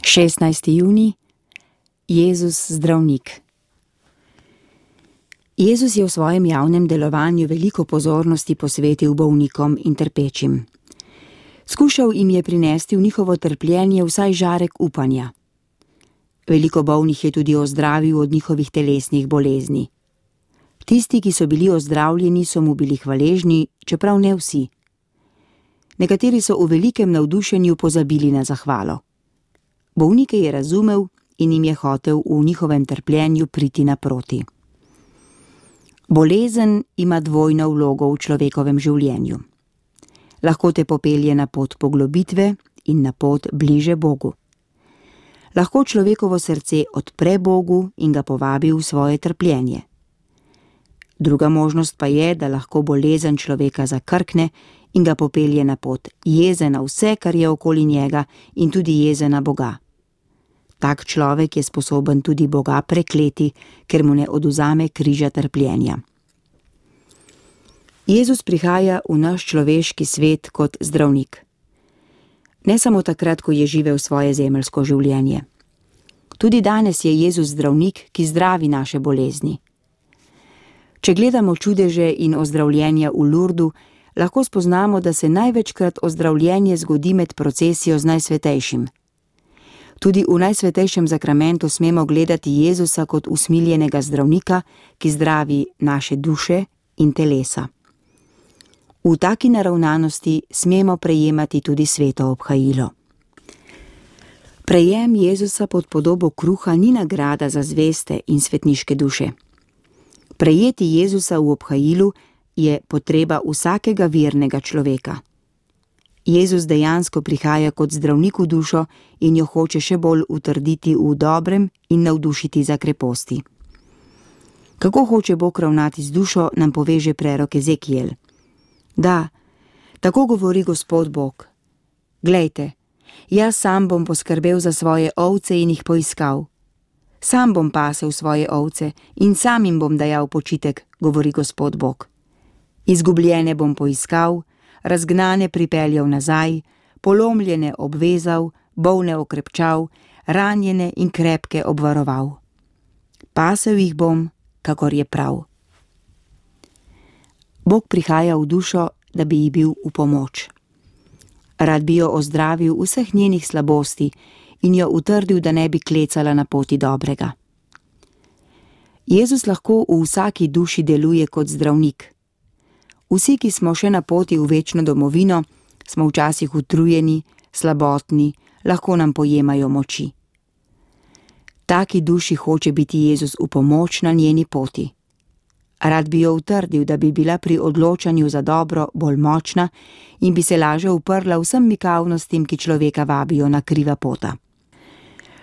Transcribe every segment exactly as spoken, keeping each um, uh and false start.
šestnajsti junij. Jezus zdravnik. Jezus je v svojem javnem delovanju veliko pozornosti posvetil bolnikom in trpečim. Skušal jim je prinesti v njihovo trpljenje vsaj žarek upanja. Veliko bolnih je tudi ozdravil od njihovih telesnih bolezni. Tisti, ki so bili ozdravljeni, so mu bili hvaležni, čeprav ne vsi. Nekateri so v velikem navdušenju pozabili na zahvalo. Bolnike je razumel in jim je hotel v njihovem trpljenju priti naproti. Bolezen ima dvojno vlogo v človekovem življenju. Lahko te popelje na pot poglobitve in na pot bliže Bogu. Lahko človekovo srce odpre Bogu in ga povabi v svoje trpljenje. Druga možnost pa je, da lahko bolezen človeka zakrkne in ga popelje na pot jeze na vse, kar je okoli njega, in tudi jeze na Boga. Tak človek je sposoben tudi Boga prekleti, ker mu ne odvzame križa trpljenja. Jezus prihaja v naš človeški svet kot zdravnik. Ne samo takrat, ko je živel svoje zemeljsko življenje. Tudi danes je Jezus zdravnik, ki zdravi naše bolezni. Če gledamo čudeže in ozdravljenja v Lurdu, lahko spoznamo, da se največkrat ozdravljenje zgodi med procesijo z Najsvetejšim. Tudi v Najsvetejšem zakramentu smemo gledati Jezusa kot usmiljenega zdravnika, ki zdravi naše duše in telesa. V taki naravnanosti smemo prejemati tudi sveto obhajilo. Prejem Jezusa pod podobo kruha ni nagrada za zveste in svetniške duše. Prejeti Jezusa v obhajilu je potreba vsakega vernega človeka. Jezus dejansko prihaja kot zdravnik v dušo in jo hoče še bolj utrditi v dobrem in navdušiti za kreposti. Kako hoče Bog ravnati z dušo, nam pove že prerok Ezekiel. Da, tako govori Gospod Bog. Glejte, jaz sam bom poskrbel za svoje ovce in jih poiskal. Sam bom pasel svoje ovce in sam jim bom dajal počitek, govori Gospod Bog. Izgubljene bom poiskal, razgnane pripeljal nazaj, polomljene obvezal, bolne okrepčal, ranjene in krepke obvaroval. Pasel jih bom, kakor je prav. Bog prihaja v dušo, da bi ji bil v pomoč. Rad bi jo ozdravil vseh njenih slabosti in jo utrdil, da ne bi klecala na poti dobrega. Jezus lahko v vsaki duši deluje kot zdravnik. Vsi, ki smo še na poti v večno domovino, smo včasih utrujeni, slabotni, lahko nam pojemajo moči. Taki duši hoče biti Jezus v pomoč na njeni poti. Rad bi jo utrdil, da bi bila pri odločanju za dobro bolj močna in bi se laže uprla vsem mikavnostim, ki človeka vabijo na kriva pota.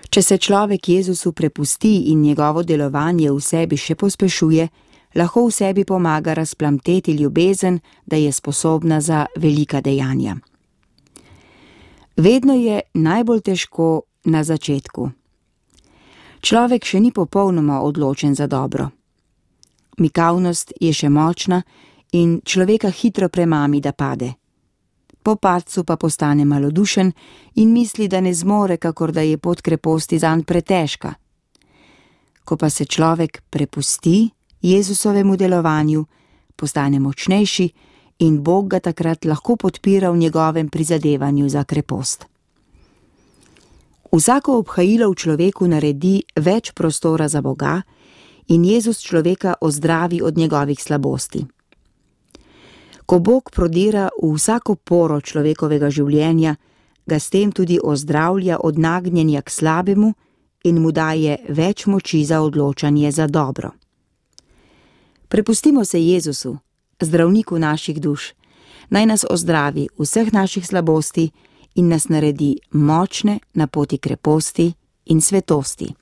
Če se človek Jezusu prepusti in njegovo delovanje v sebi še pospešuje, lahko v sebi pomaga razplamteti ljubezen, da je sposobna za velika dejanja. Vedno je najbolj težko na začetku. Človek še ni popolnoma odločen za dobro. Mikavnost je še močna in človeka hitro premami, da pade. Po padcu pa postane malodušen in misli, da ne zmore, kakor da je pot kreposti zanj pretežka. Ko pa se človek prepusti Jezusovemu delovanju, postane močnejši in Bog ga takrat lahko podpira v njegovem prizadevanju za krepost. Vsako obhajilo v človeku naredi več prostora za Boga in Jezus človeka ozdravi od njegovih slabosti. Ko Bog prodira v vsako poro človekovega življenja, ga s tem tudi ozdravlja od nagnjenja k slabemu in mu daje več moči za odločanje za dobro. Prepustimo se Jezusu, zdravniku naših duš, naj nas ozdravi vseh naših slabosti in nas naredi močne na poti kreposti in svetosti.